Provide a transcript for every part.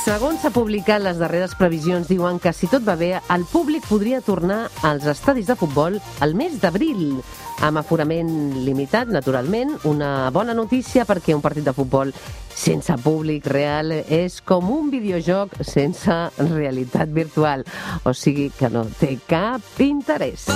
Segons s'ha publicat, les darreres previsions diuen que si tot va bé, el públic podria tornar als estadis de futbol al mes d'abril, amb aforament limitat, naturalment. Una bona notícia perquè un partit de futbol sense públic real és com un videojoc sense realitat virtual. O sigui que no té cap interès.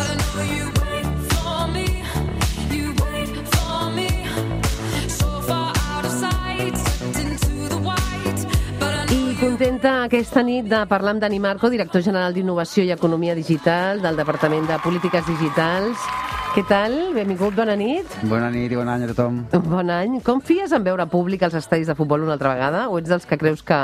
Contenta aquesta nit de parlar amb Dani Marco, director general d'Innovació i Economia Digital del Departament de Polítiques Digitals. Què tal? Benvingut, bona nit. Bona nit i bon any a tothom. Bon any. Confies en veure públic als estadis de futbol una altra vegada o ets dels que creus que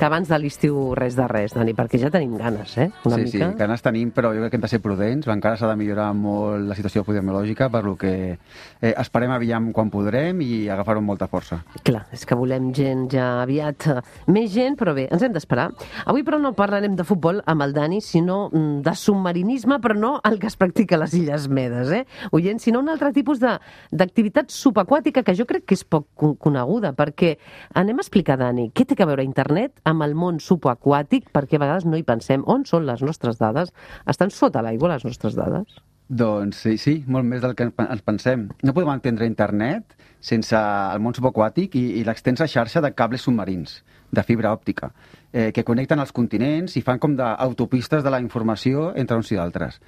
abans de l'estiu res de res, Dani? Perquè ja tenim ganes, una mica. Sí, ganes tenim, però jo crec que hem de ser prudents. Encara s'ha de millorar molt la situació epidemiològica, per lo que esperem aviam quan podrem i agafar-ho amb molta força. Clar, és que volem gent ja aviat, més gent, però bé, ens hem d'esperar. Avui, però, no parlarem de futbol amb el Dani, sinó de submarinisme, però no el que es practica a les Illes Medes, oients, sinó un altre tipus d'activitat subaquàtica que jo crec que és poc coneguda, perquè anem a explicar, Dani, què té a veure internet amb el món subaquàtic, perquè a vegades no hi pensem. On són les nostres dades? Estan sota l'aigua les nostres dades? Doncs sí, molt més del que ens pensem. No podem entendre internet sense el món subaquàtic i l'extensa xarxa de cables submarins, de fibra òptica, que connecten els continents i fan com d'autopistes de la informació entre uns i d'altres.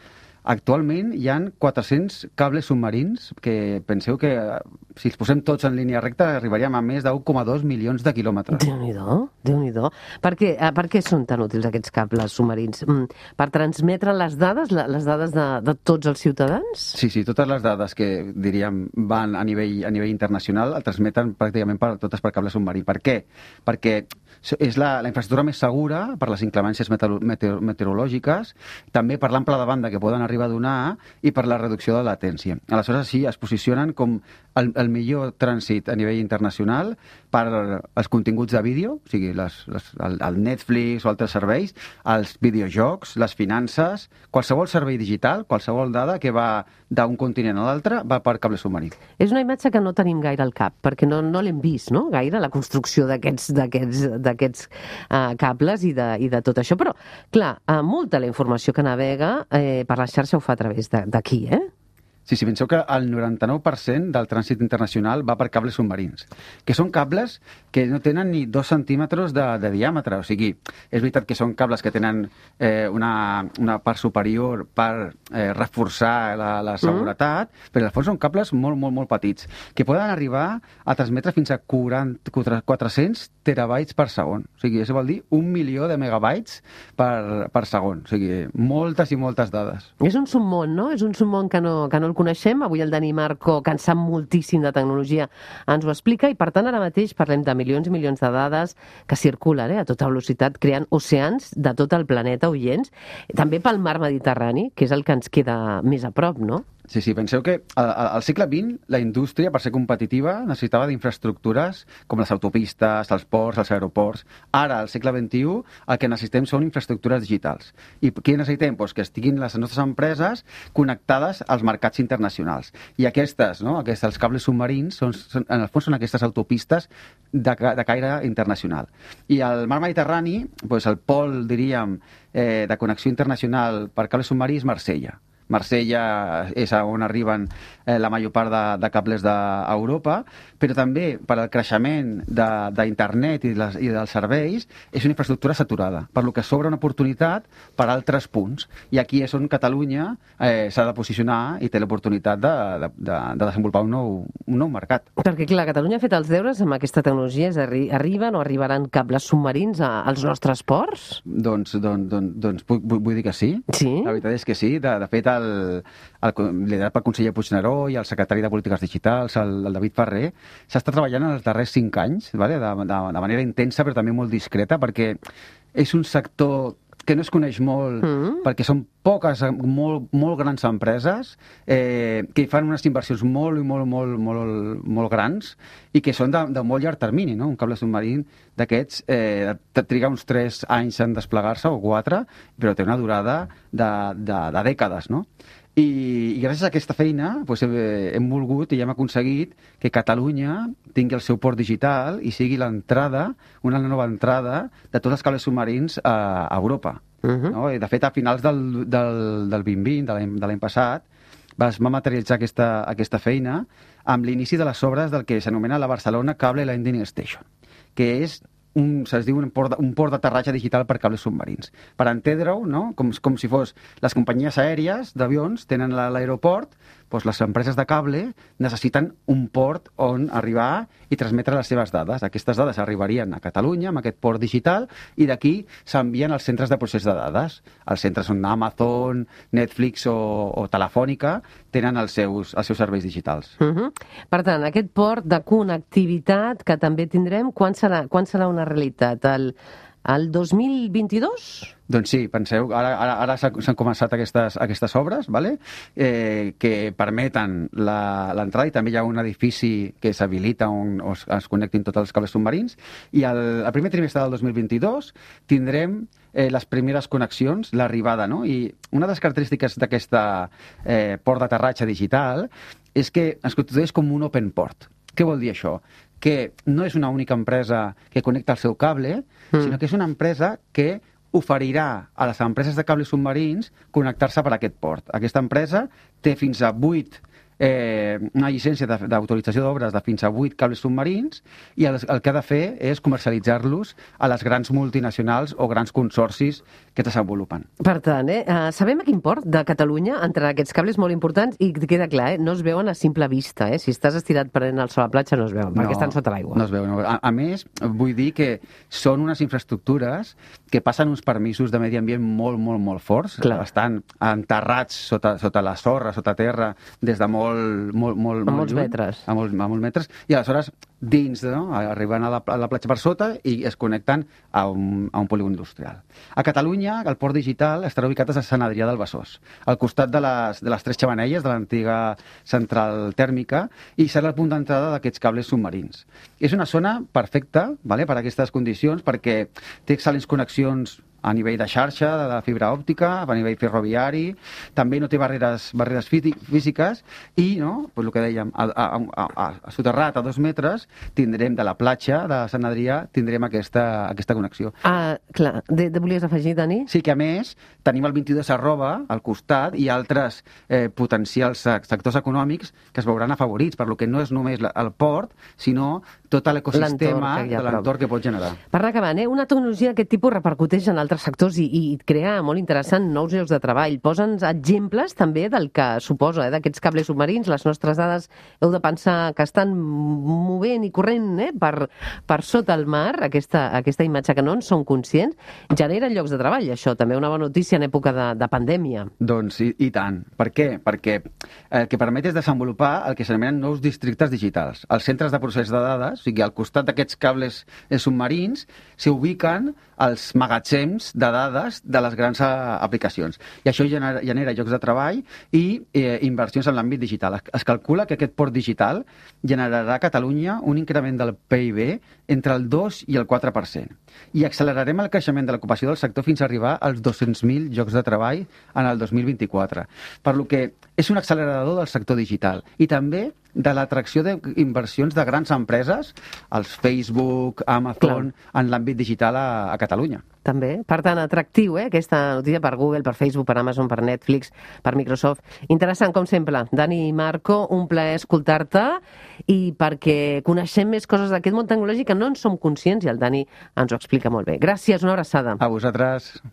Actualment hi ha 400 cables submarins que penseu que si els posem tots en línia recta arribaríem a més de 1,2 milions de quilòmetres. Déu-n'hi-do, Déu-n'hi-do. Per què són tan útils aquests cables submarins? Per transmetre les dades de tots els ciutadans? Sí, totes les dades que diríem van a nivell internacional el transmeten pràcticament totes per cable submarí. Per què? Perquè és la infraestructura més segura per les inclemències meteorològiques, també per l'ample de banda que poden arribar a donar i per la reducció de latència. Aleshores, sí, es posicionen com el millor trànsit a nivell internacional per als continguts de vídeo, o sigui, el Netflix o altres serveis, els videojocs, les finances, qualsevol servei digital, qualsevol dada que va d'un continent a l'altre va per cable submarí. És una imatge que no tenim gaire al cap, perquè no l'hem vist, no?, gaire, la construcció d'aquests cables i de tot això. Però, clar, molta la informació que navega per la xarxa ho fa a través d'aquí, Sí, penseu que el 99% del trànsit internacional va per cables submarins, que són cables que no tenen ni 2 centímetres de diàmetre. O sigui, és veritat que són cables que tenen una part superior per reforçar la seguretat, però al fons són cables molt, molt, molt petits, que poden arribar a transmetre fins a 400 terabytes per segon. O sigui, això vol dir 1 milió de megabytes per segon. O sigui, moltes i moltes dades. És un submón, no? És un submón que no el coneixem. Avui el Dani Marco, que en sap moltíssim de tecnologia, ens ho explica i, per tant, ara mateix parlem de milions i milions de dades que circulen a tota velocitat, creant oceans de tot el planeta, oients, també pel mar Mediterrani, que és el que ens queda més a prop, no? Sí, penseu que al segle XX la indústria, per ser competitiva, necessitava d'infraestructures com les autopistes, els ports, els aeroports. Ara, al segle XXI, el que necessitem són infraestructures digitals. I què necessitem? Doncs que estiguin les nostres empreses connectades als mercats internacionals. I els cables submarins, en el fons, són aquestes autopistes de caire internacional. I al mar Mediterrani, doncs el pol, diríem, de connexió internacional per cable submarí és Marsella. Marsella és on arriben la major part de cables d'Europa, però també per al creixement d'internet i dels serveis és una infraestructura saturada, per lo que s'obre una oportunitat per altres punts. I aquí és on Catalunya s'ha de posicionar i té l'oportunitat de desenvolupar un nou mercat. Perquè, clar, Catalunya ha fet els deures amb aquesta tecnologia, arriben o arribaran cables submarins als nostres ports? Doncs vull dir que sí. Sí? La veritat és que sí. De fet, liderat pel conseller Puigneró i el secretari de Polítiques Digitals, el David Ferrer, s'està treballant en els darrers 5 anys, de manera intensa però també molt discreta, perquè és un sector que no es coneix molt, perquè són poques, molt grans empreses que fan unes inversions molt grans i que són de molt llarg termini, no? Un cable submarí d'aquests triga uns 3 anys en desplegar-se o 4, però té una durada de dècades, no? I gràcies a aquesta feina hem volgut i hem aconseguit que Catalunya tingui el seu port digital i sigui l'entrada, una nova entrada de tots els cables submarins a Europa. No? I de fet, a finals del 2020, de l'any passat, va materialitzar aquesta feina amb l'inici de les obres del que s'anomena la Barcelona Cable Landing Station, que és se'ls diu un port d'aterratge digital per cables submarins. Per entendre-ho, no? Com si fos les companyies aèries d'avions tenen l'aeroport, doncs les empreses de cable necessiten un port on arribar i transmetre les seves dades. Aquestes dades arribarien a Catalunya amb aquest port digital i d'aquí s'envien als centres de procés de dades. Els centres on Amazon, Netflix o Telefònica tenen els seus serveis digitals. Per tant, aquest port de connectivitat que també tindrem, quan serà una realitat? El 2022? Doncs sí, penseu, ara s'han començat aquestes obres, ¿vale? Que permeten l'entrada, i també hi ha un edifici que s'habilita on es connectin tots els cables submarins, i el primer trimestre del 2022 tindrem les primeres connexions, l'arribada, no? I una de les característiques d'aquesta port d'aterratge digital és que es constitueix com un open port. Què vol dir això? Que no és una única empresa que connecta el seu cable, sinó que és una empresa que oferirà a les empreses de cables submarins connectar-se per aquest port. Aquesta empresa té fins a 8 una llicència d'autorització d'obres de fins a 8 cables submarins, i el que ha de fer és comercialitzar-los a les grans multinacionals o grans consorcis que es desenvolupen. Per tant, sabem a quin port de Catalunya entren aquests cables molt importants, i queda clar, no es veuen a simple vista. Si estàs estirat prenent el sol a la platja no es veuen, perquè estan sota l'aigua. No es veuen. A més, vull dir que són unes infraestructures que passen uns permisos de medi ambient molt, molt, molt forts. Estan enterrats sota la sorra, sota terra, des de molts metres. A molts metres, i aleshores dins, no? Arriben a la platja per sota i es connecten a un polígon industrial. A Catalunya, el port digital estarà ubicat a Sant Adrià del Besòs, al costat de les 3 xemeneies de l'antiga central tèrmica, i serà el punt d'entrada d'aquests cables submarins. És una zona perfecta, per a aquestes condicions, perquè té excel·lents connexions a nivell de xarxa, de fibra òptica, a nivell ferroviari, també no té barreres físiques, i, no, el que dèiem, soterrat a 2 metres, tindrem de la platja de Sant Adrià, tindrem aquesta connexió. Clar, volies afegir, Dani? Sí, que a més tenim el 22 al costat i altres potencials sectors econòmics que es veuran afavorits, per lo que no és només el port, sinó tot l'ecosistema de l'entorn que pot generar. Per anar acabant, una tecnologia d'aquest tipus repercuteix en altres sectors i crea, molt interessant, nous llocs de treball. Posa'ns exemples també del que suposa, d'aquests cables submarins. Les nostres dades heu de pensar que estan movent i corrent per sota el mar, aquesta imatge que no en som conscients. Genera llocs de treball, això, també una bona notícia en època de pandèmia. Doncs i tant. Per què? Perquè el que permet és desenvolupar el que s'anomenen nous districtes digitals. Els centres de procés de dades, o sigui, al costat d'aquests cables submarins, s'ubiquen els magatzems de dades de les grans aplicacions. I això genera llocs de treball i inversions en l'àmbit digital. Es calcula que aquest port digital generarà a Catalunya un increment del PIB entre el 2 i el 4%. I accelerarem el creixement de l'ocupació del sector fins a arribar als 200.000 llocs de treball en el 2024. Per lo que és un accelerador del sector digital i també de l'atracció d'inversions de grans empreses, els Facebook, Amazon, en l'àmbit digital a Catalunya. També. Per tant, atractiu, aquesta notícia per Google, per Facebook, per Amazon, per Netflix, per Microsoft. Interessant, com sempre. Dani i Marco, un plaer escoltar-te, i perquè coneixem més coses d'aquest món tecnològic que no en som conscients, i el Dani ens ho explica molt bé. Gràcies, una abraçada. A vosaltres.